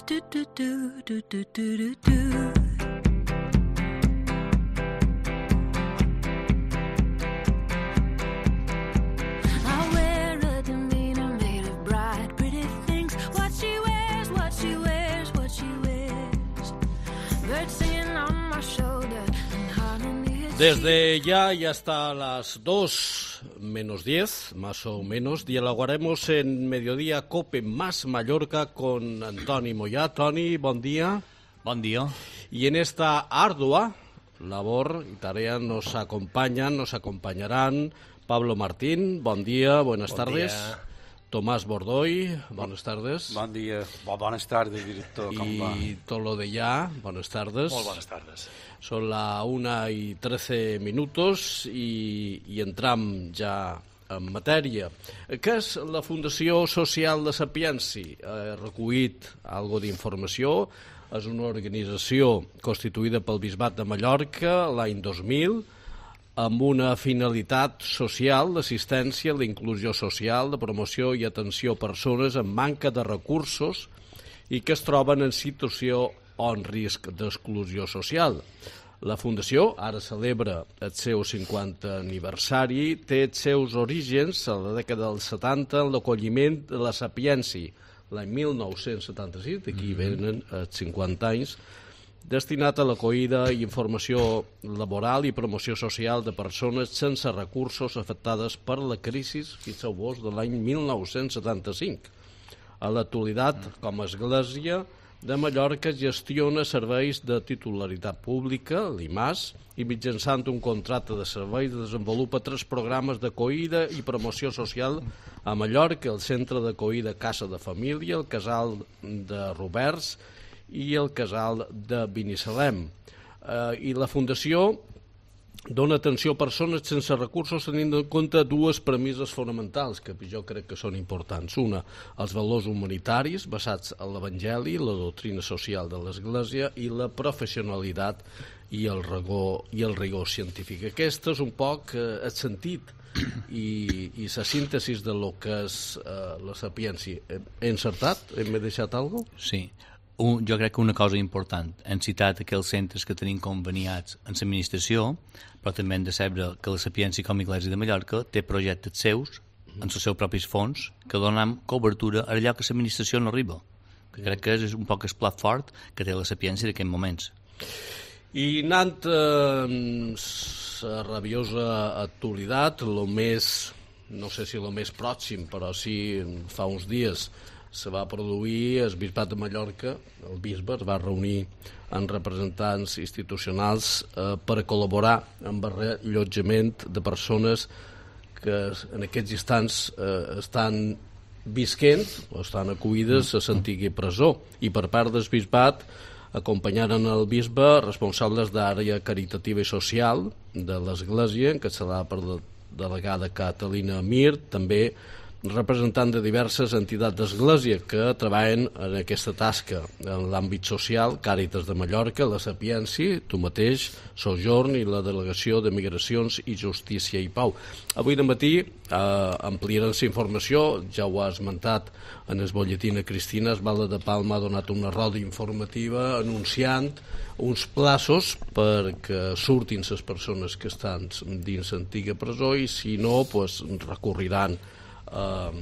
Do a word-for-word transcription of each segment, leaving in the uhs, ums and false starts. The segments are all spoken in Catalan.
do do do do do do do. Desde ya, ya hasta las dos menos diez, más o menos, dialogaremos en Mediodía Cope más Mallorca con Antoni Moyà. Toni, bon día. Bon día. Y en esta ardua labor y tarea nos acompañan, nos acompañarán Pablo Martín, bon día, buenas bon tardes. Dia. Tomás Bordoy, buenas tardes. Bon dia, bones tardes, director, com va? Y Tolo de Ya, buenas tardes. Molt bones tardes. Son la una y trece minutos i, i entram ja en matèria. Què és la Fundació Social de Sapiensi? He recollit algo d'informació. És una organització constituïda pel Bisbat de Mallorca l'any dos mil amb una finalitat social d'assistència a la inclusió social, de promoció i atenció a persones amb manca de recursos i que es troben en situació o en risc d'exclusió social. La Fundació ara celebra el seu cinquantè aniversari, té els seus orígens a la dècada dels setanta en l'acolliment de la Sapiensi, l'any mil nou-cents setanta-sis, d'aquí venen els cinquanta anys, destinat a l'acollida i informació laboral i promoció social de persones sense recursos afectades per la crisi, fixeu-vos, de l'any mil nou-cents setanta-cinc. A l'actualitat, com a església de Mallorca gestiona serveis de titularitat pública, l'I M A S, i mitjançant un contracte de serveis desenvolupa tres programes d'acollida i promoció social a Mallorca, el Centre d'acollida Casa de Família, el Casal de Roberts i el Casal de Binissalem. Eh, I la Fundació dona atenció a persones sense recursos tenint en compte dues premisses fonamentals que jo crec que són importants. Una, els valors humanitaris basats en l'Evangeli, la doctrina social de l'Església i la professionalitat i el rigor, i el rigor científic. Aquest és un poc eh, el sentit i, i la síntesi de lo que és eh, la Sapiensi. He encertat? Hem deixat alguna cosa? Sí. Un, jo crec que una cosa important, hem citat aquells centres que tenim conveniats en l'administració, però també hem de saber que la Sapiensi com a Iglésia de Mallorca té projectes seus, en els seus propis fons, que donen cobertura a allò que l'administració no arriba. Que crec que és un poc el plat fort que té la Sapiensi d'aquests moments. I anant eh, la rabiosa actualitat, el més, no sé si el més pròxim, però sí fa uns dies, se va produir el Bisbat de Mallorca, el bisbe es va reunir amb representants institucionals eh, per col·laborar amb el reallotjament de persones que en aquests instants eh, estan visquent o estan acollides a l'antiga presó, i per part del Bisbat acompanyaren el bisbe responsables d'àrea caritativa i social de l'Església, encapçalada per la delegada Catalina Mir, també representant de diverses entitats d'església que treballen en aquesta tasca en l'àmbit social, Càritas de Mallorca, la Sapiensi, tu mateix, Sojorn i la Delegació de Migracions i Justícia i Pau. Avui de matí eh, ampliaran la informació, ja ho ha esmentat en el boletín a Cristina, es Valde de Palma ha donat una roda informativa anunciant uns plaços perquè surtin les persones que estan dins l'antiga presó i si no, pues, recorriran Uh,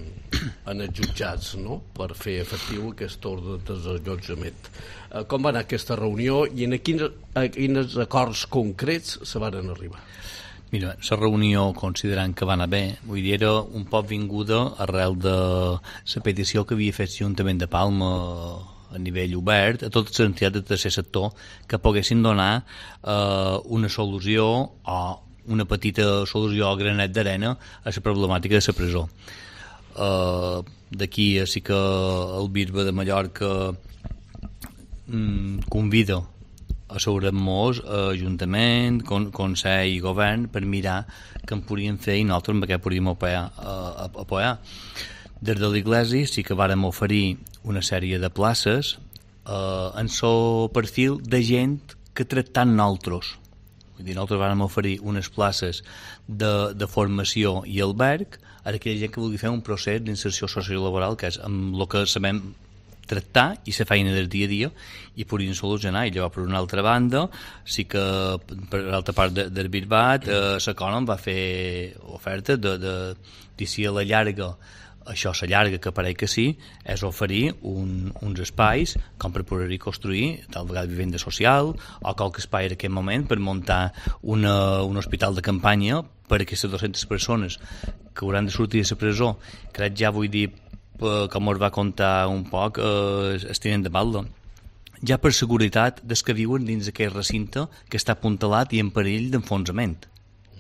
en els jutjats, no?, per fer efectiu aquest ordre de desallotjament. Uh, com va anar aquesta reunió i en quins, a quins acords concrets se van arribar? Mira, la reunió, considerant que va anar bé, vull dir, era un poc vinguda arrel de la petició que havia fet l'Ajuntament de Palma a nivell obert a totes les entitats del tercer sector que poguessin donar eh, una solució o una petita solució a granet d'arena a la problemàtica de la presó. Uh, d'aquí sí que el bisbe de Mallorca mm, convida a seure-nos a Ajuntament, con, Consell i Govern per mirar què en podríem fer i nosaltres amb què podríem apoyar, uh, apoyar. Des de l'Iglésia sí que vàrem oferir una sèrie de places uh, en el perfil de gent que tractant nosaltres. Vull dir, nosaltres vam oferir unes places de, de formació i alberg a aquella gent que vulgui fer un procés d'inserció sociolaboral, que és amb el que sabem tractar i la feina del dia a dia i podrien solucionar. I llavors, per una altra banda, sí que per l'altra part de, del Bisbat, eh, l'Econom va fer oferta de, de, de si a la llarga, això la llarga que pareix que sí, és oferir un, uns espais com per poder construir tal vegada vivenda social o qualque espai en aquest moment per muntar una, un hospital de campanya per a aquestes dues-centes persones que hauran de sortir de la presó. Crec ja vull dir, com us va contar un poc eh, el tinent de Balda, ja per seguretat des que viuen dins d'aquest recinte que està apuntalat i en perill d'enfonsament.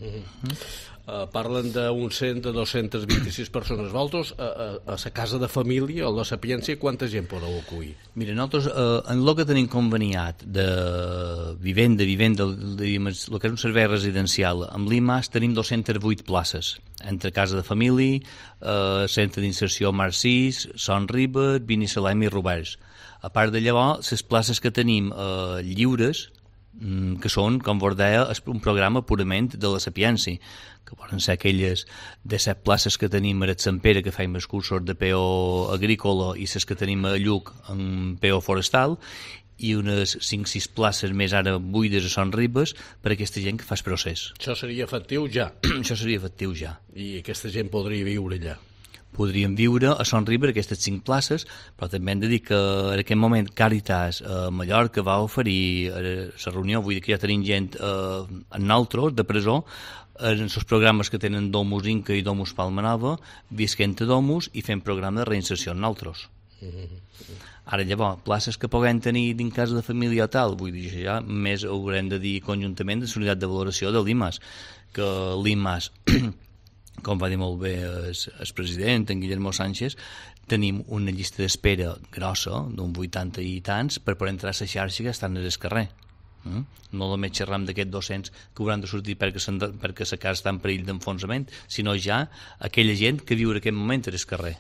Mm-hmm. Mm. Uh, parlen d'un cent a dos-cents vint-i-sis persones. Vosaltres, a, a, a la casa de família o a la Sapiència, quanta gent podeu acollir? Mira, nosaltres, eh, en el que tenim conveniat de vivenda, vivenda, el que és un servei residencial, amb l'I M A S tenim dues-centes vuit places, entre casa de família, eh, centre d'inserció Mar sis, Son Ribes, Vini Salem i Roberts. A part de llavors, les places que tenim eh, lliures, que són, com vos deia, un programa purament de la Sapiència, que poden ser aquelles de set places que tenim a Sant Pere, que fem els cursos de P O agrícola, i les que tenim a Lluc en P O forestal, i unes cinc o sis places més ara buides a Son Ribes per a aquesta gent que fa el procés. Això seria efectiu ja? Això seria efectiu ja. I aquesta gent podria viure allà? Podríem viure a Son Ribes aquestes cinc places, però també hem de dir que en aquest moment Càritas a Mallorca va oferir la reunió, vull dir que ja tenim gent eh, en nosaltres, de presó, en els programes que tenen Domus Inca i Domus Palmanova, visquent a Domus i fent programa de reinserció en nosaltres. Ara llavors, places que puguem tenir dins casa de família o tal, vull dir, ja més haurem de dir conjuntament de la unitat de valoració de l'I M A S, que l'I M A S com va dir molt bé el, el president, en Guillermo Sánchez, tenim una llista d'espera grossa, d'un vuitanta i tants, per poder entrar a la xarxa que estan al carrer. Mm? No només xerram d'aquests dos-cents que hauran de sortir perquè, perquè la casa està en perill d'enfonsament, sinó ja aquella gent que viu en aquest moment al carrer.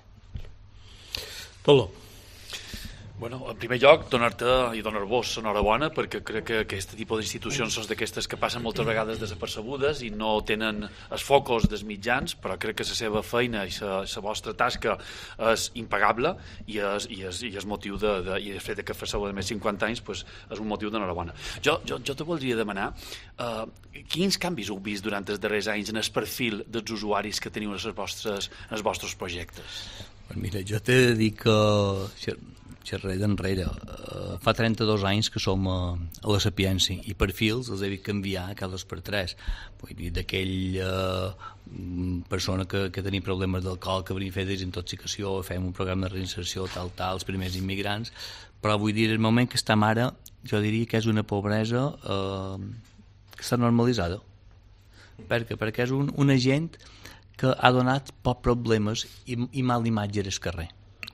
Tolo. Bueno, en primer lloc, donar-te i donar-vos enhorabona, perquè crec que aquest tipus d'institucions són d'aquestes que passen moltes vegades desapercebudes i no tenen els focus dels mitjans, però crec que la seva feina i la vostra tasca és impagable i és, i és, i és motiu de, de, i el fet que fasseu de més cinquanta anys pues, és un motiu d'enhorabona. Jo, jo, jo te voldria demanar uh, quins canvis heu vist durant els darrers anys en el perfil dels usuaris que teniu en els vostres, en els vostres projectes? Pues mira, jo t'he de dir que xerré d'enrere. Uh, fa trenta-dos anys que som a, a la Sapiència i perfils els he vist canviar cada dos per tres. Vull dir, d'aquell uh, persona que, que tenia problemes d'alcohol, que venia a fer desintoxicació, fem un programa de reinserció, tal, tal, els primers immigrants, però vull dir, el moment que estem ara, jo diria que és una pobresa uh, que està normalitzada. Per què? Perquè és un, una gent que ha donat pocs problemes i, i mal imatge al carrer.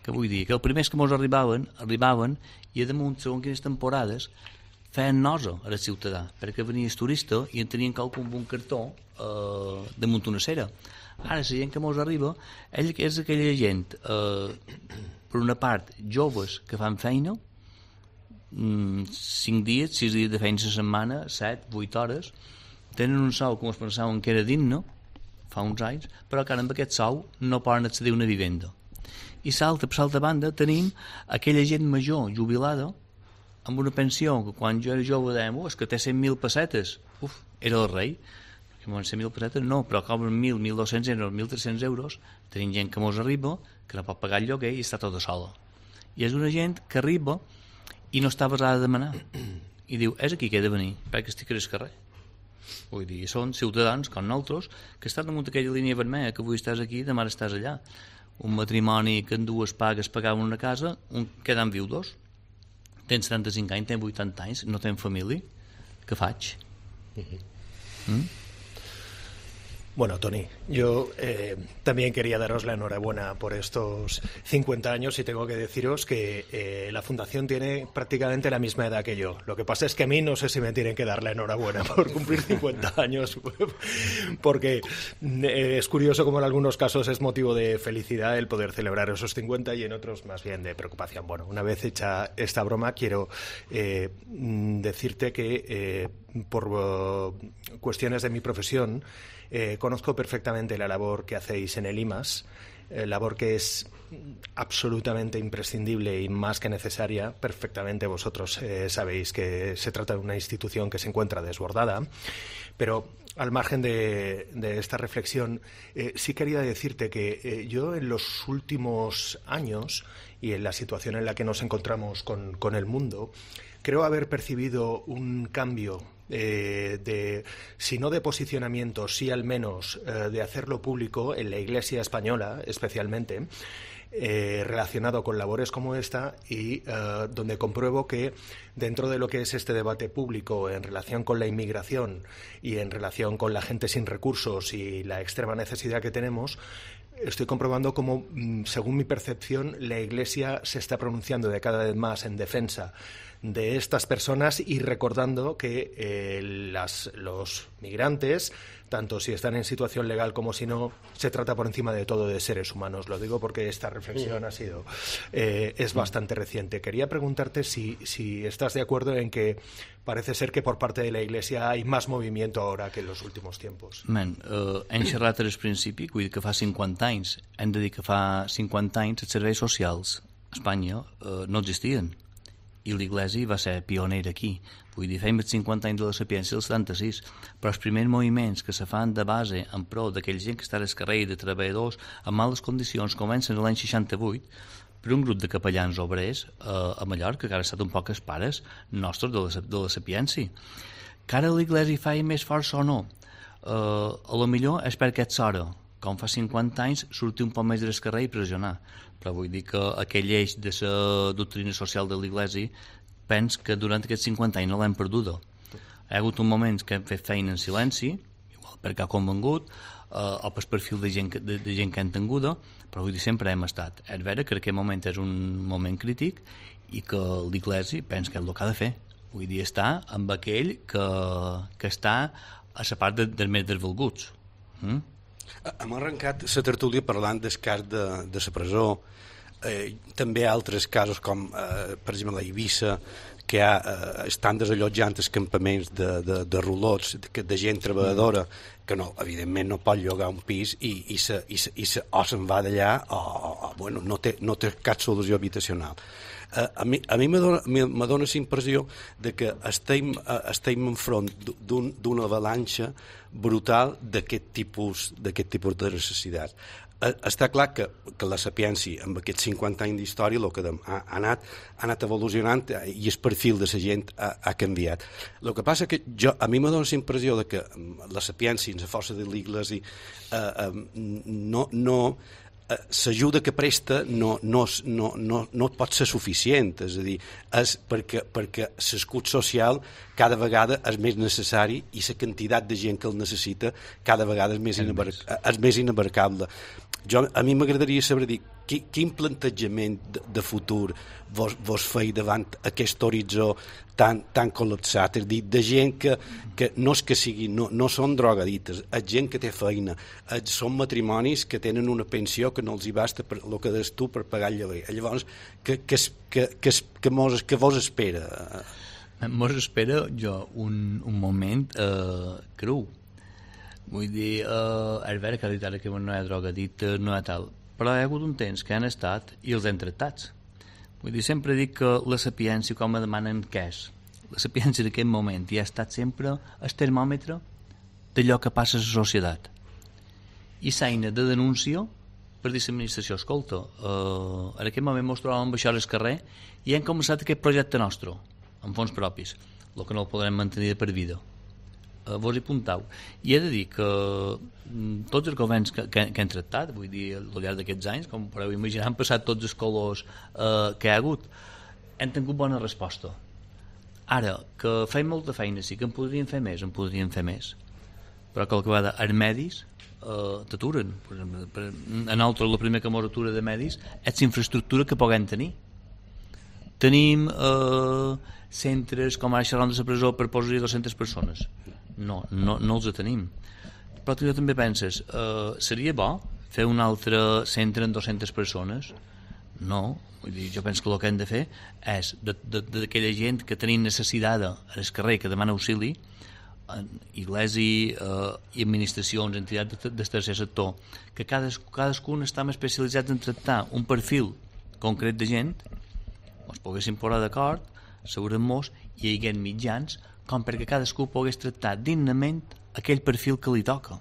Que vull dir, que els primers que ens arribaven, arribaven i a damunt, segons quines temporades, feien nosa a la ciutadà, perquè venia el turista i en tenien qualcun amb un cartó eh, damunt una cera. Ara, la gent que ens arriba ell és aquella gent, eh, per una part, joves que fan feina, cinc dies, sis dies de feina a la setmana, set, vuit hores, tenen un sou com es pensaven que era digne, fa uns anys, però que ara amb aquest sou no poden accedir a una vivenda. I salta, per l'altra banda, tenim aquella gent major, jubilada, amb una pensió, que quan jo era jove dèiem, oh, és que té cent mil pessetes. Uf, era el rei. Perquè cent mil pessetes no, però cobren mil, mil dos-cents euros, mil tres-cents euros. Tenim gent que mos arriba, que no pot pagar el lloguer i està tota sola. I és una gent que arriba i no està basada a demanar. I diu, és aquí que he de venir, perquè estic al carrer. Vull dir, són ciutadans, com nosaltres, que estan damunt aquella línia vermella, que avui estàs aquí, demà estàs allà. Un matrimoni que en dues pagues pagaven una casa, un, queden viudos. Tens setanta-cinc anys, tens vuitanta anys, no tens família. Què faig? Uh-huh. ¿Mm? Bueno, Toni, yo eh, también quería daros la enhorabuena por estos cincuenta años y tengo que deciros que eh, la Fundación tiene prácticamente la misma edad que yo. Lo que pasa es que a mí no sé si me tienen que dar la enhorabuena por cumplir cincuenta años, porque eh, es curioso como en algunos casos es motivo de felicidad el poder celebrar esos cincuenta y en otros más bien de preocupación. Bueno, una vez hecha esta broma, quiero eh, decirte que eh, por uh, cuestiones de mi profesión, Eh, conozco perfectamente la labor que hacéis en el I M A S eh, labor que es absolutamente imprescindible y más que necesaria. Perfectamente vosotros eh, sabéis que se trata de una institución que se encuentra desbordada, pero al margen de, de esta reflexión, eh, sí quería decirte que eh, yo en los últimos años y en la situación en la que nos encontramos con, con el mundo, creo haber percibido un cambio eh, de, si no de posicionamiento, sí al menos eh, de hacerlo público en la Iglesia española especialmente, Eh, relacionado con labores como esta y uh, donde compruebo que dentro de lo que es este debate público en relación con la inmigración y en relación con la gente sin recursos y la extrema necesidad que tenemos, estoy comprobando cómo, según mi percepción, la Iglesia se está pronunciando de cada vez más en defensa de estas personas y recordando que eh, las, los migrantes, tanto si están en situación legal como si no, se trata por encima de todo de seres humanos. Lo digo porque esta reflexión ha sido eh, es bastante reciente. Quería preguntarte si, si estás de acuerdo en que parece ser que por parte de la Iglesia hay más movimiento ahora que en los últimos tiempos. Man, uh, hem xerrat al principi, vull dir que fa cinquanta anys. Hem de dir que fa cinquanta anys els serveis socials a Espanya uh, no existien. I l'Iglésia va ser pionera aquí. Vull dir, fem els cinquanta anys de la Sapiència del setanta-sis, però els primers moviments que se fan de base en pro d'aquella gent que està al carrer, de treballadors en males condicions, comencen l'any seixanta-vuit per un grup de capellans obrers eh, a Mallorca, que ara ha estat un poc els pares nostres de la, de la Sapiència. Que ara l'Iglésia fa més força o no? Eh, a lo millor és perquè ets hora, com fa cinquanta anys, sortir un poc més del carrer i pressionar. Però vull dir que aquell eix de la doctrina social de l'Iglésia pens que durant aquests cinquanta anys no l'hem perduda. Hi ha hagut un moment que hem fet feina en silenci, igual perquè ha convengut, eh, o per perfil de gent, de, de gent que hem tinguda, però vull dir, sempre hem estat. És vera que aquest moment és un moment crític i que l'Iglésia pensa que és el que ha de fer. Vull dir, està amb aquell que, que està a la part de, dels més desvalguts. Mm? Hem arrencat la tertúlia parlant del cas de, de la presó, eh, també altres casos com, eh, per exemple, a Eivissa, que ha, eh, estan desallotjant els campaments de, de, de rulots, de, de gent treballadora, que no, evidentment no pot llogar un pis i, i, se, i, se, i se, o se'n va d'allà o, o bueno, no, té, no té cap solució habitacional. Uh, a mi, a mi me dona, me, me dona la impressió de que estem, uh, estem enfront d'un, d'una avalanxa brutal d'aquest tipus, d'aquest tipus de necessitats. Uh, està clar que, que la Sapiència, amb aquests cinquanta anys d'història, el que ha, ha, anat, ha anat evolucionant i el perfil de la gent ha, ha canviat. El que passa que jo, a mi me dona la impressió de que la Sapiència, la força de l'Iglésia, uh, uh, no... no l'ajuda que presta no, no, no, no, no pot ser suficient, és a dir, és perquè, perquè l'escut social cada vegada és més necessari i la quantitat de gent que el necessita cada vegada és més, inabar és més inabarcable. Jo, a mi m'agradaria saber dir qui, quin plantejament de, de futur vos, vos feu davant aquest horitzó tan, tan col·lapsat, és a dir, de gent que, que no és que sigui, no, no són drogadites, és gent que té feina, és, són matrimonis que tenen una pensió que no els hi basta per el que des tu per pagar el lloguer. Llavors, que, que, que, que, que, mos, que vos espera? Mos espera jo un, un moment eh, cru. Vull dir, eh, és vera que ara que no hi ha drogadit, no hi ha tal, però hi ha hagut un temps que han estat i els han tractats. Vull dir, sempre dic que la Sapiència, com me demanen què és, la Sapiència d'aquest moment ja ha estat sempre el termòmetre d'allò que passa a la societat. I s'eina de denúncia per dir a l'administració, escolta, eh, en aquest moment ens trobem amb això al carrer i hem començat aquest projecte nostre, amb fons propis, el que no el podrem mantenir de per vida. Vos hi apuntau. I he de dir que tots els governs que, que, que han tractat, vull dir, al llarg d'aquests anys, com podeu imaginar, han passat tots els colors eh, que hi ha hagut, han tingut bona resposta. Ara, que feim molta feina, sí que en podríem fer més, en podríem fer més. Però qualque vegada els medis eh, t'aturen. A nosaltres, el primer que mos atura de medis és l'infraestructura que puguem tenir. Tenim eh, centres com ara xerrant de la presó per posar-hi dues-centes persones. No, no, no els tenim. Però tu també penses, eh, seria bo fer un altre centre amb dues-centes persones? No, vull dir, jo penso que el que hem de fer és d'aquella gent que tenim necessitada al carrer, que demana auxili, Iglesi eh, i administracions, entitats del tercer sector, que cades, cadascun està especialitzat en tractar un perfil concret de gent, ens poguéssim posar d'acord, segurament hi hagués mitjans com perquè cadascú pogués tractar dignament aquell perfil que li toca.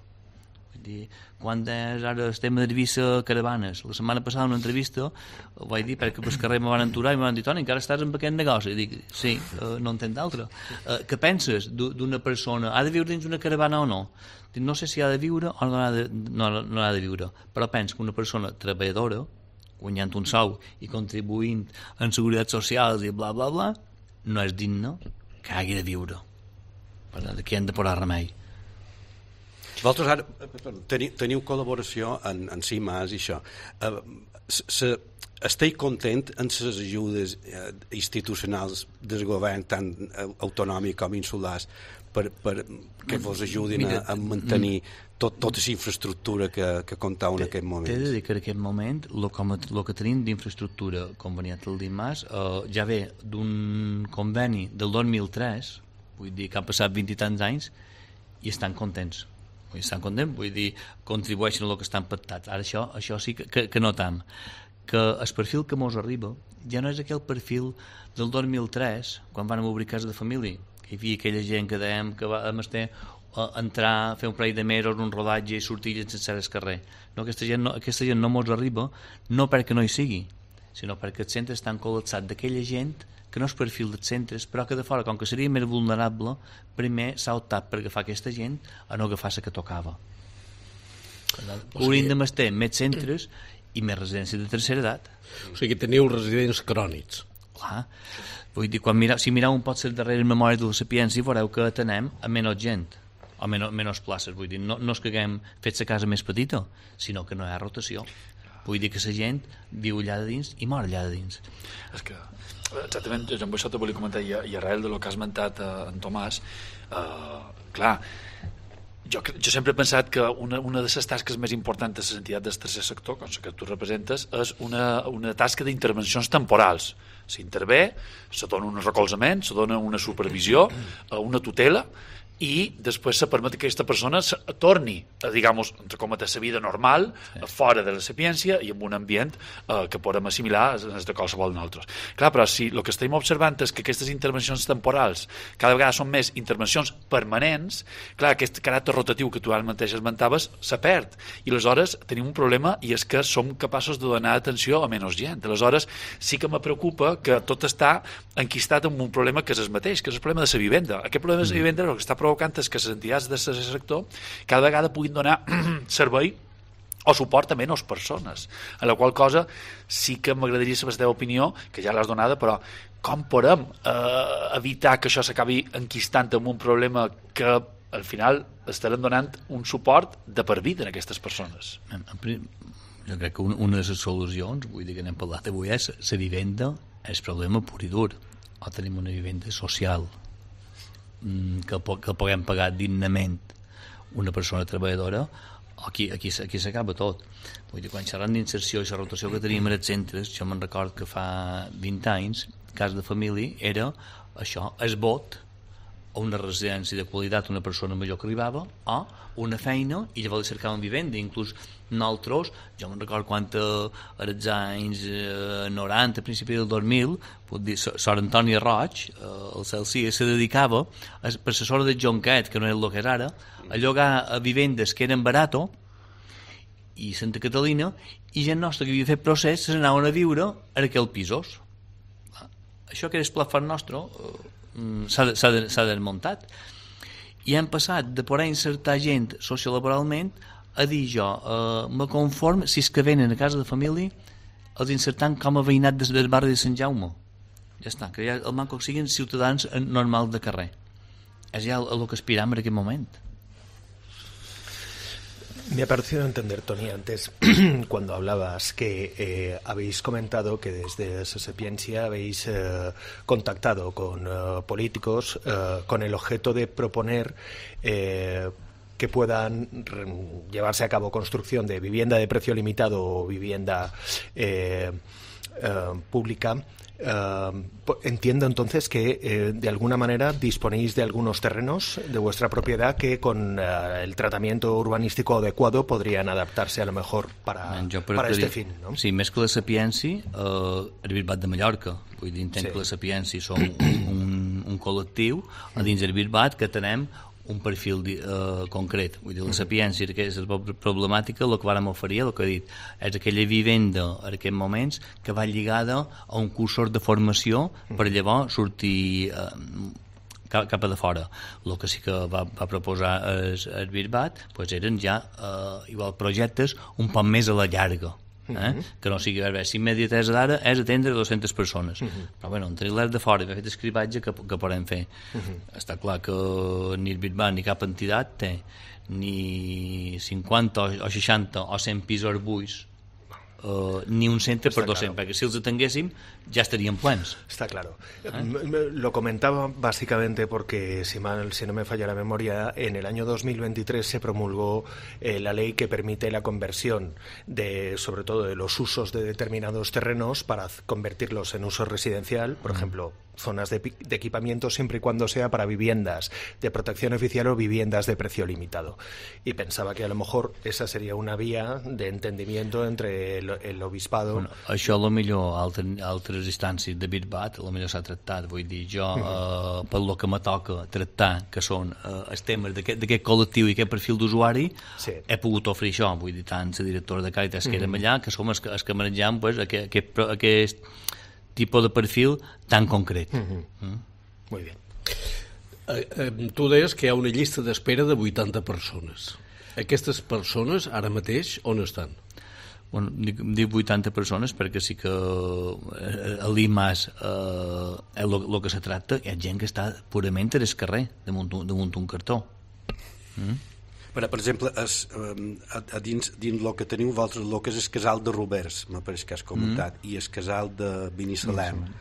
Vull dir, quan és ara el tema d'Eivissa Caravanes, la setmana passada en una entrevista ho vaig dir perquè pel carrer me van aturar i me van dir, Toni, encara estàs en aquest negoci? I dic, sí, eh, no entenc d'altre. Eh, què penses d'una persona? Ha de viure dins una caravana o no? Dic, no sé si ha de viure o no ha de, no, no ha de viure, però penso que una persona treballadora, guanyant un sou i contribuint en seguretat social i bla bla bla, no és digne que hagi de viure. Per tant, aquí hem de posar remei. Vosaltres ara teniu, teniu col·laboració en, en CIMAS i això. Uh, se, esteu content en les ajudes uh, institucionals del govern, tant autonòmic com insulars, per, per que vos ajudin Mira, a, a mantenir tot, tota la infraestructura que, que comptau en aquest moment? T'he de dir que en aquest moment el que tenim d'infraestructura conveniat al DIMAS uh, ja ve d'un conveni del dos mil tres, vull dir que han passat vint i tants anys i estan contents. Vull dir, estan contents, vull dir, contribueixen a el que estan pactats. Ara això, això sí que, que, que notam que el perfil que mos arriba ja no és aquell perfil del dos mil tres, quan vam obrir casa de família, que hi havia aquella gent que dèiem que va a estar a entrar, fer un parell de mesos, un rodatge i sortir sense el carrer. No, aquesta gent no, aquesta gent no mos arriba no perquè no hi sigui, sinó perquè els centres estan col·lapsats d'aquella gent que no és perfil dels centres, però que de fora, com que seria més vulnerable, primer s'ha optat per agafar aquesta gent a no agafar la que tocava. Hauríem de estar més centres i més residències de tercera edat. O sigui que teniu residents crònics. Clar. Vull dir, quan mireu, si mireu un pot ser darrere memòria de la Sapiència, veureu que atenem a menys gent, o menys, menys places. Vull dir, no, no és que haguem fet la casa més petita, sinó que no hi ha rotació. Vull dir que la gent viu allà de dins i mor allà de dins. És que exactament, jo amb això te volia comentar i, i arrel del que has esmentat eh, en Tomàs, eh, clar, jo, jo sempre he pensat que una, una de les tasques més importants de les entitats del tercer sector, com la que tu representes, és una, una tasca d'intervencions temporals. S'intervé, se dona un recolzament, se dona una supervisió, una tutela, i després se permet que aquesta persona torni a, digamos, entre cometes, la vida normal, sí, fora de la sapiència i en un ambient eh, que podem assimilar des de qualsevol nosaltres. Clar, però si el que estem observant és que aquestes intervencions temporals cada vegada són més intervencions permanents, clar, aquest caràcter rotatiu que tu ara mateix esmentaves se perd, i aleshores tenim un problema, i és que som capaços de donar atenció a menys gent. Aleshores sí que me preocupa que tot està enquistat en un problema que és el mateix, que és el problema de la vivenda. Aquest problema de la vivenda és el que està provocant és que les entitats del tercer sector cada vegada puguin donar servei o suport a menys persones, en la qual cosa sí que m'agradaria saber la teva opinió, que ja l'has donada, però com podem eh, evitar que això s'acabi enquistant en un problema que al final estarem donant un suport de per vida a aquestes persones? Jo crec que una de les solucions, vull dir que n'hem parlat avui, és la vivenda és problema pur i dur. O tenim una vivenda social que, que puguem pagar dignament una persona treballadora, aquí, aquí, aquí s'acaba tot. Vull dir, quan xerrant d'inserció i la rotació que teníem als centres, jo me'n record que fa vint anys, cas de família, era això, es vot a una residència de qualitat una persona major que arribava, o una feina, i llavors cercàvem vivenda. Inclús nosaltres, jo me'n record quan als anys eh, noranta, a principi del dos mil, puc dir, Sor Antònia Roig, eh, el Celsius, se dedicava, a, per la sort de Jonquet, que no és el que és ara, a llogar a vivendes que eren barato, i Santa Catalina, i gent nostra que havia fet procés se n'anaven a viure a aquells pisos. Això que era el plafon nostre, eh, s'ha desmuntat, i hem passat de poder insertar gent sociolaboralment a dir jo eh, me conform si és que venen a casa de família els insertant com a veïnat des del barri de Sant Jaume. Ja està, que ja el manco siguin ciutadans normals de carrer. És ja el, el que aspiram en aquest moment. Me ha parecido entender, Toni, antes cuando hablabas que eh, habéis comentado que desde Sapiencia habéis eh, contactado con eh, políticos eh, con el objeto de proponer eh, que puedan llevarse a cabo construcción de vivienda de precio limitado o vivienda eh, eh, pública. Uh, entiendo entonces que eh, de alguna manera disponéis de algunos terrenos de vuestra propiedad que con uh, el tratamiento urbanístico adecuado podrían adaptarse a lo mejor para, para este dir, fin, no? Sí, més que la Sapienci, uh, el Bisbat de Mallorca. Vull dir, entenc sí. que la Sapienci som un, un, un col·lectiu a dins del Bisbat que tenem un perfil uh, concret. Vull dir, la Sapiència, que és la problemàtica, el que vàrem oferir, el que he dit, és aquella vivenda en aquests moments que va lligada a un cursor de formació per llavors sortir uh, cap, cap a de fora. El que sí que va, va proposar el, el Bisbat pues eren ja uh, igual projectes un poc més a la llarga. Eh? Uh-huh. Que no sigui si immediatesa d'ara és atendre dues-centes persones uh-huh. però bueno, entre l'her de fora i aquest escribatge que, que podem fer uh-huh. està clar que ni el Bisbat ni cap entitat té ni cinquanta o seixanta o cent pisos buits Uh, ni un centre per dos-cents, claro. Perquè si els atenguéssim ja estarían plens. Está claro. ¿Eh? Lo comentaba básicamente porque, si, mal, si no me falla la memoria, en el año dos mil veintitrés se promulgó eh, la ley que permite la conversión de, sobre todo, de los usos de determinados terrenos para convertirlos en uso residencial, por mm. ejemplo, zonas de, de equipamiento siempre y cuando sea para viviendas de protección oficial o viviendas de precio limitado. Y pensaba que a lo mejor esa sería una vía de entendimiento entre el, el obispado... Bueno, això a lo millor altre, altres instàncies de Bisbat, a lo millor s'ha tractat, vull dir, jo uh -huh. eh, per lo que me toca tractar, que són eh, els temes d'aquest col·lectiu i aquest perfil d'usuari, sí. he pogut oferir això, vull dir, tant la directora de Càritas uh -huh. que érem allà, que som els que, els que manegem pues, aquest, aquest, aquest tipus de perfil tan concret. Uh-huh. Mm? Muy bien. Eh, eh, tu deies que hi ha una llista d'espera de vuitanta persones. Aquestes persones, ara mateix, on estan? Bueno, dic, dic vuitanta persones perquè sí que eh, a l'I M A S eh, el que se tracta hi ha gent que està purament al carrer damunt, damunt un cartó. Mm? Per, per exemple, es, a, a dins, dins el que teniu vosaltres, el que és el casal de Roberts, m'apareix que has comentat, mm. i el casal de Binissalem. Mm.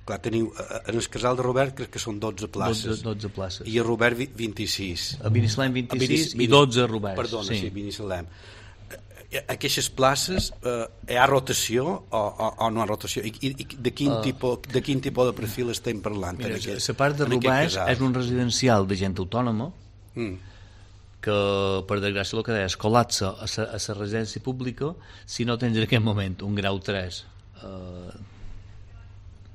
Clar, teniu, en el casal de Robert crec que són dotze places. dotze, dotze places. I a Robert vint-i-sis. A Binissalem vint-i-sis i dotze a Roberts. Perdona, sí, sí Binissalem. Aquestes places eh, hi ha rotació o, o, o no hi ha rotació? I, i de, quin uh, tipus, de quin tipus de perfil estem parlant? Mira, la part de Roberts és un residencial de gent autònoma mm. que, per desgràcia, el que deia es col·lapsa a la residència pública si no tens en aquest moment un grau tres. Eh,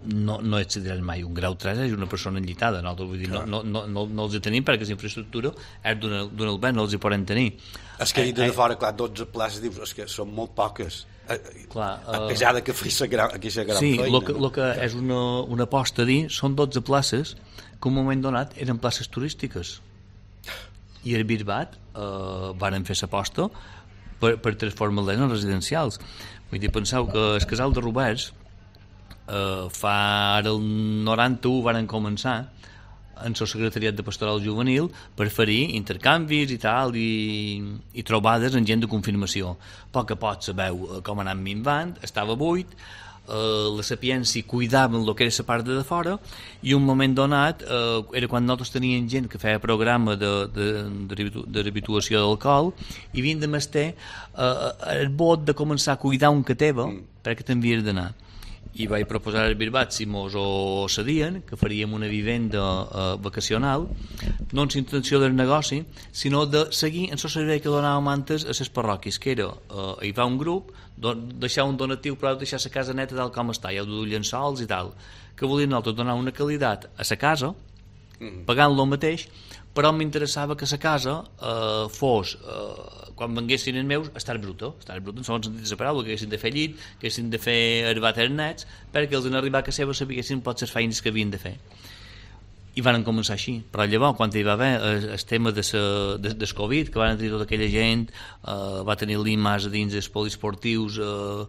no, no accediràs mai. Un grau tres és una persona enllitada. No, vull dir, no, no, no, no, no els hi tenim perquè la infraestructura és d'un albert, no els hi podem tenir. És que he dit de fora, clar, dotze places, dius, és que són molt poques. Clar, a pesar de que fes aquesta gran sí, feina. Sí, el que, lo que és una, una aposta a dir són dotze places que en un moment donat eren places turístiques. I el Bisbat eh, varen fer l'aposta per, per transformar-les en residencials. Vull dir, penseu que el casal de Roberts eh, fa ara el noranta-u varen començar en el secretariat de pastoral juvenil per fer-hi intercanvis i tal i, i trobades amb gent de confirmació. A poc a poc sabeu com anant minvant, estava buit, Uh, la Sapiència cuidaven el que era la part de fora i un moment donat uh, era quan nosaltres teníem gent que feia programa de, de, de, de rehabilitació d'alcohol i havien de mestre uh, el bot de començar a cuidar un que teva mm. perquè t'envies d'anar i vaig proposar al Bisbat si mos ho cedien que faríem una vivenda uh, vacacional no amb intenció del negoci sinó de seguir en el servei que donàvem antes a les parròquies que era, uh, hi va un grup don, deixar un donatiu però deixar la casa neta tal com està, hi ha de llençols i tal que volien nosaltres donar una qualitat a la casa mm. pagant-lo mateix però m'interessava que la casa eh, fos eh, quan venguessin els meus estar bruta, estar bruta en segon sentit de la paraula, que haguessin de fer llit que haguessin de fer herbat als nets perquè els en arribar a casa seva sabessin potser les feines que havien de fer i van començar així, però llavors quan hi va haver el, el tema de sa, de, del Covid que van tenir tota aquella gent eh, va tenir l'I M A S a dins dels poliesportius eh,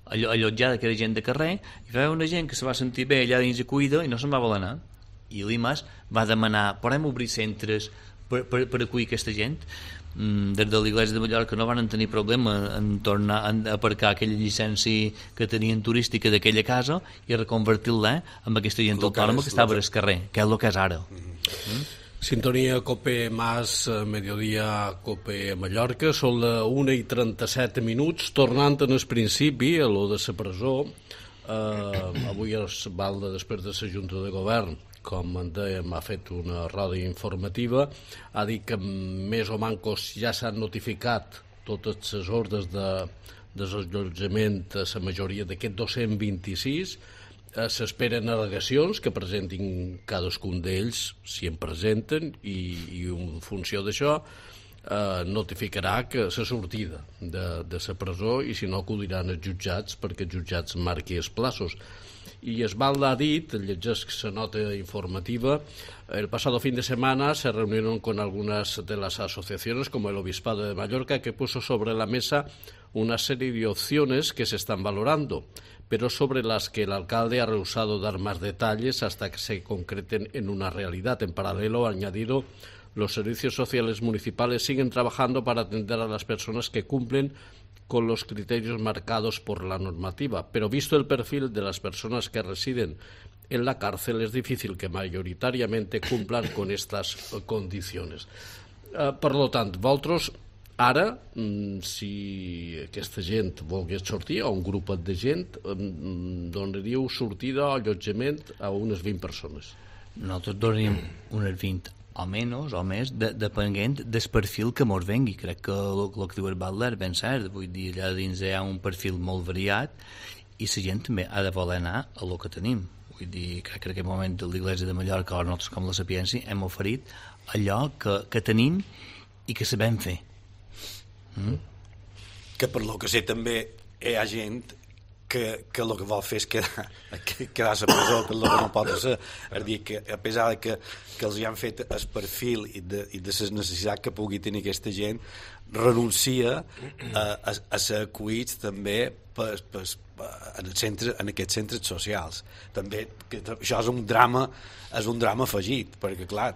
allotjada que era gent de carrer i va haver una gent que se va sentir bé allà dins de cuida i no se'n va voler anar i l'I M A S va demanar podem obrir centres per, per, per acollir aquesta gent mm, des de l'Iglésia de Mallorca no van tenir problema en tornar a aparcar aquella llicència que tenien turística d'aquella casa i reconvertir-la amb aquesta gent autònoma que estava al carrer, que és el que és ara. Mm-hmm. Mm? Sintonia Cope Mas, Mediodía Cope Mallorca, són la una i trenta-set minuts, tornant en el principi a lo de la presó. eh, avui es Balda, després de la Junta de Govern, com en dèiem, ha fet una roda informativa, ha dit que més o mancos ja s'han notificat totes les ordres de desallotjament a la majoria d'aquests dos-cents vint-i-sis. Eh, s'esperen al·legacions que presentin cadascun d'ells, si en presenten, i, i en funció d'això eh, notificarà que la sortida de, de la presó, i si no acudiran als jutjats perquè els jutjats marqui els plaços. Y Esbalda ha dit, llegeix la nota informativa, el pasado fin de semana se reunieron con algunas de las asociaciones como el Obispado de Mallorca, que puso sobre la mesa una serie de opciones que se están valorando, pero sobre las que el alcalde ha rehusado dar más detalles hasta que se concreten en una realidad. En paralelo, ha añadido, los servicios sociales municipales siguen trabajando para atender a las personas que cumplen con los criterios marcados por la normativa, pero visto el perfil de las personas que residen en la cárcel, es difícil que mayoritariamente cumplan con estas condiciones. Eh, per lo tant, vosaltres ara, si aquesta gent volgués sortir, o un grup de gent, donaríeu sortida o allotjament a unes vint persones? Nosaltres donaríem unes vint o menys, o més, de, depenent del perfil que mos vengui. Crec que el, el que diu el Balda és ben cert. Vull dir, allà dins hi ha un perfil molt variat i la gent també ha de voler anar a el que tenim. Vull dir, crec que en aquest moment l'Iglésia de Mallorca o nosaltres com la Sapiència hem oferit allò que, que tenim i que sabem fer. Mm? Que per lo que sé també hi ha gent que, que el que vol fer és quedar, quedar a la presó, que és el que no pot ser. És dir, que a pesar de que, que els hi han fet el perfil i de, i de les necessitats que pugui tenir aquesta gent, renuncia a, a, a ser acollits també per, per, en, el centre, en aquests centres socials. També, que això és un drama, és un drama afegit, perquè clar,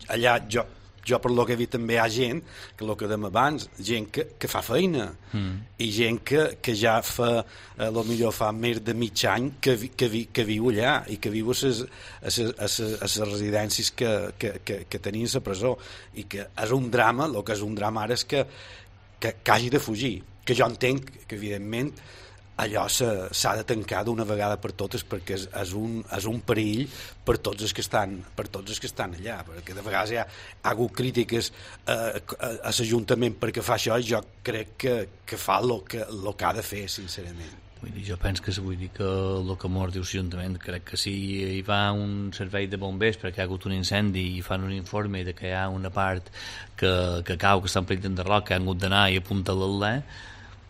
allà jo jo per lo que he vist també hi ha gent que el que dèiem abans, gent que, que fa feina mm. i gent que, que ja fa a lo millor fa més de mig any que, vi, que, vi, que viu allà i que viu a les, a ses, a ses, a ses residències que, que, que, que tenien a la presó, i que és un drama. El que és un drama ara és que, que, que hagi de fugir, que jo entenc que evidentment allò s'ha de tancar d'una vegada per totes, perquè és, és, un, és un perill per tots els que estan, per tots els que estan allà, perquè de vegades hi ha, ha hagut crítiques eh, a, a l'Ajuntament perquè fa això, i jo crec que, que fa el que, lo que ha de fer, sincerament. Vull dir, jo penso que vull dir que el que mos diu l'Ajuntament, crec que si hi va un servei de bombers perquè hi ha hagut un incendi i fan un informe de que hi ha una part que, que cau, que està en perill d'enderroc, que han hagut d'anar i apuntar-la,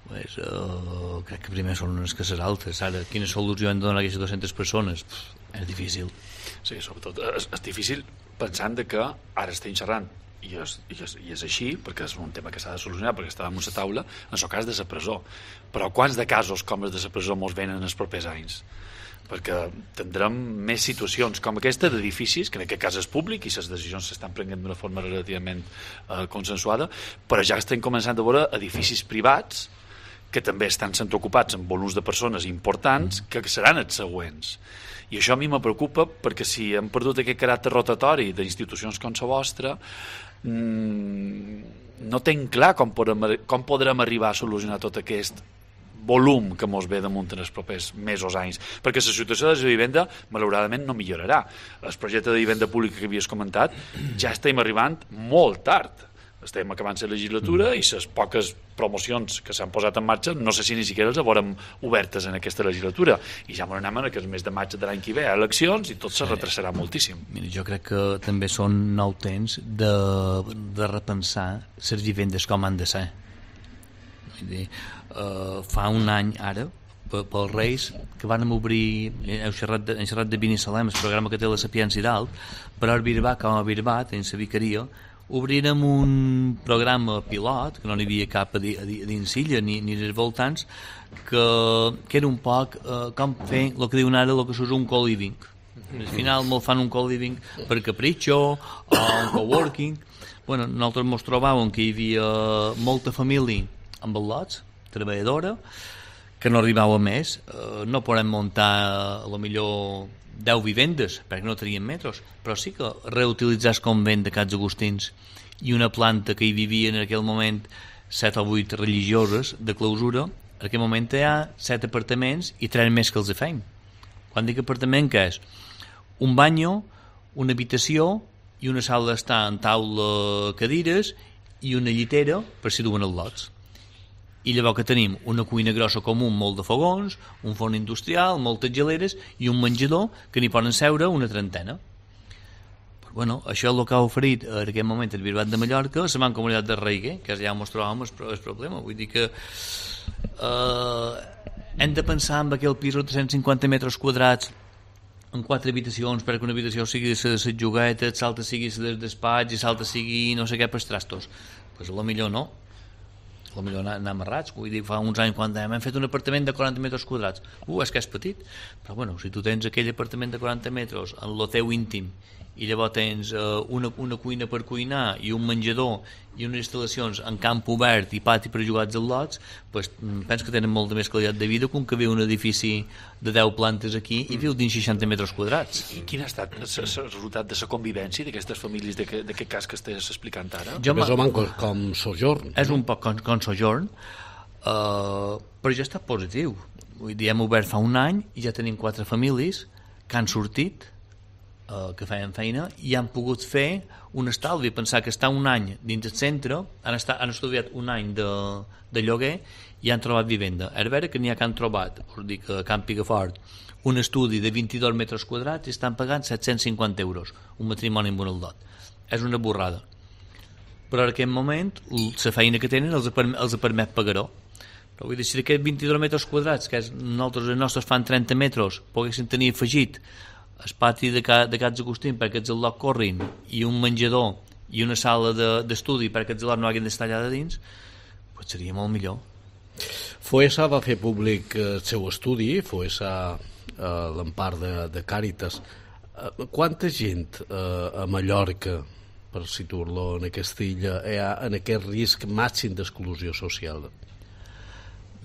pues, uh, crec que primer són unes cases altes. Ara, quina solució han de donar a aquestes dues-centes persones? Pff, és difícil. Sí, sobretot és, és difícil pensant de que ara estem xerrant i és, i, és, i és així, perquè és un tema que s'ha de solucionar, perquè està damunt la taula, en el cas de la presó. Però quants de casos com els de la presó mos venen els propers anys? Perquè tindrem més situacions com aquesta d'edificis, que en aquest cas és públic i les decisions s'estan prenent d'una forma relativament eh, consensuada, però ja estem començant a veure edificis privats que també estan sent ocupats amb volums de persones importants que seran els següents. I això a mi me preocupa, perquè si hem perdut aquest caràcter rotatori d'institucions com la vostra, mmm, no tenc clar com podrem, com podrem arribar a solucionar tot aquest volum que mos ve damunt en els propers mesos, anys, perquè la situació de la vivenda malauradament no millorarà. El projecte de vivenda pública que havies comentat ja estem arribant molt tard. Estem acabant la legislatura i les poques promocions que s'han posat en marxa no sé si ni siquiera les haurem obertes en aquesta legislatura, i ja m'anem en el mes de maig de l'any que ve a eleccions i tot se retrasarà moltíssim. Mira, jo crec que també són nou temps de, de repensar les vivendes com han de ser. Vull dir, uh, fa un any ara pels Reis que van obrir, heu xerrat de, hem xerrat de Binissalem, el programa que té la Sapiència i dalt, però a Birbat, com a Birbat, en la vicaria, obrirem un programa pilot, que no n'hi havia cap a, di, a, di, a dins Silla ni, ni als voltants, que, que era un poc eh, com fer el que diuen ara el que s'usa un co-living. Al final molt fan un co-living per capritxo o un coworking. Bueno, nosaltres ens trobàvem que hi havia molta família amb al·lots, treballadora, que no arribava més. Eh, no podem muntar a lo millor deu vivendes, perquè no tenien metros, però sí que reutilitzar el convent de Cats Agustins i una planta que hi vivia en aquell moment set o vuit religioses de clausura, en aquest moment hi ha set apartaments i tres més que els feim. Quan dic apartament, què és? Un banyo, una habitació i una sala d'estar en taula, cadires i una llitera per si duen els lots. I llavors que tenim una cuina grossa comú amb molt de fogons, un forn industrial, moltes geleres i un menjador que n'hi poden seure una trentena. Però, bueno, això és el que ha oferit en aquest moment el Bisbat de Mallorca, la Mancomunitat de Reguer, que ja ens trobàvem el problema. Vull dir que eh, hem de pensar en aquell pis de tres-cents cinquanta metres quadrats en quatre habitacions, perquè una habitació sigui de les juguetes, l'altra sigui del despatx i l'altra sigui no sé què per trastos. Doncs pues, potser no. Potser anar amarrats. Vull dir, fa uns anys quan hem fet un apartament de quaranta metres quadrats. Uh, és que és petit. Però bueno, si tu tens aquell apartament de quaranta metres en el teu íntim i llavors tens uh, una, una cuina per cuinar i un menjador i unes instal·lacions en camp obert i pati per jugar als lots, pues, penso que tenen molta més qualitat de vida que un que viu un edifici de deu plantes aquí i viu dins seixanta metres quadrats. I quin ha estat el resultat de la convivència d'aquestes famílies d'aquest cas que estàs explicant ara? Jo més o menys com, com sojorn. És un poc com, com sojorn, uh, però ja està positiu. Vull dir, hem obert fa un any i ja tenim quatre famílies que han sortit, Uh, que feien feina i han pogut fer un estalvi, pensar que estar un any dins el centre, han, estat, han estudiat un any de, de lloguer i han trobat vivenda. És vera que n'hi ha que han trobat, vol dir que a Camp Picafort, un estudi de vint-i-dos metres quadrats i estan pagant set-cents cinquanta euros, un matrimoni amb un aldot. És una borrada. Però en aquest moment la feina que tenen els, els permet pagar-ho. Però vull dir, si d'aquests vint-i-dos metres quadrats, que és, nosaltres els nostres fan trenta metres, poguessin tenir afegit el pati de, ca, de Cats Agustín perquè els al·lots corrin i un menjador i una sala d'estudi de, perquè els al·lots no hagin d'estar allà de dins, pues seria molt millor. Foessa va fer públic el seu estudi, Foessa a l'empart de, de Càritas. Quanta gent eh, a Mallorca, per situar-lo en aquesta illa, hi ha en aquest risc màxim d'exclusió social?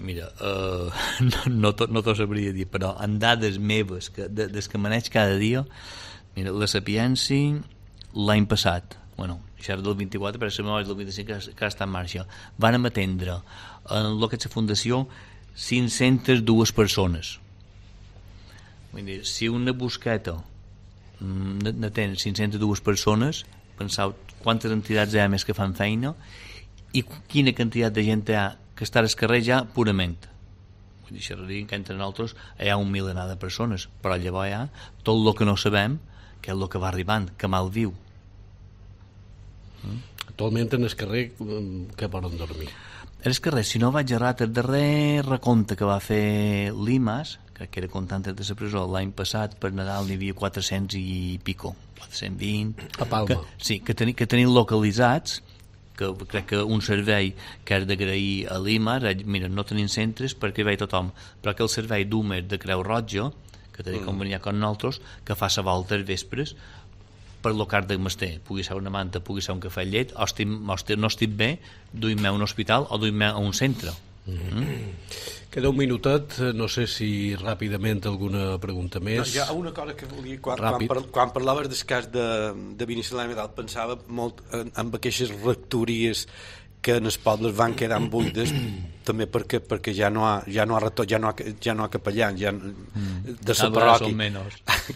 Mira, uh, no, no, to, no t'ho sabria dir, però en dades meves que, de, des que maneig cada dia, mira, la Sapienci l'any passat, bueno, això era del vint-i-quatre, però la memòria del vint-i-cinc que, que està en marxa, van atendre en el que és la fundació cinc-centes dues persones. Vull dir, si una busqueta n'atén cinc-centes dues persones, penseu quantes entitats hi ha més que fan feina i quina quantitat de gent hi ha que està al carrer ja purament. Vull dir, xerraríem que entre nosaltres hi ha un milenar de persones, però llavors hi ha tot el que no sabem, que és el que va arribant, que mal viu. Mm? Actualment en el carrer que poden dormir? En el carrer, si no vaig errat, el darrer recompte que va fer l'Imas, que era comptant de la presó l'any passat, per Nadal n'hi havia quatre-cents i pico, quatre-cents vint. A Palma. Que, sí, que, teni, que tenim localitzats, que crec que un servei que és d'agrair a l'I M A, mira, no tenim centres perquè hi va tothom, però que el servei d'Húmer de Creu Roja, que té mm. conveniat amb nosaltres, que fa la volta als vespres per lo car de Master, pugui ser una manta, pugui ser un cafè llet, o, estic, o estic, no estic bé, duim-me a un hospital o duim-me a un centre. Mm. Mm. Queda un minutet, no sé si ràpidament alguna pregunta més. No, hi ha una cosa que volia, quan, quan, par, quan parlaves del cas de, de Binissalem i tal, pensava molt en, en aquestes rectories que en els pobles van quedant buides també perquè, perquè ja no ha, ja no ha, retor, ja no ha, ja no ha capellans ja, mm. de la parròquia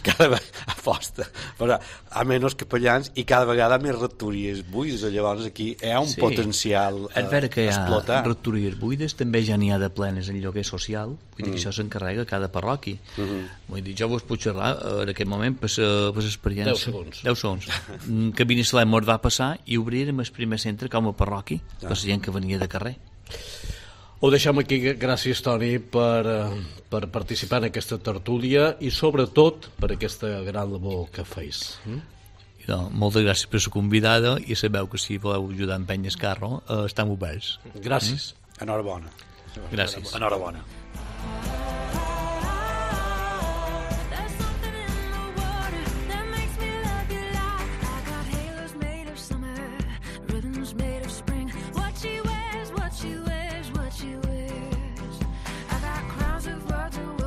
cada vegada a posta però a menys capellans i cada vegada més rectories buides, llavors aquí hi ha un sí. potencial a és vera que hi ha explotar. Rectories buides, també ja n'hi ha de plenes en lloguer social, vull dir mm. que això s'encarrega cada parròquia. Mm -hmm. Vull dir, jo vos puc xerrar en aquest moment per l'experiència. deu segons. deu segons. Que Binissalem mos va passar i obrirem el primer centre com a parròquia per la gent que venia de carrer. Ho deixem aquí. Gràcies, Toni, per, per participar en aquesta tertúlia i sobretot per aquesta gran labor que feis. Mm? No, moltes gràcies per la convidada i sabeu que si voleu ajudar a empènyer el carro eh, estem oberts. Gràcies. Mm? Enhorabona. Gràcies. Enhorabona. Made of spring.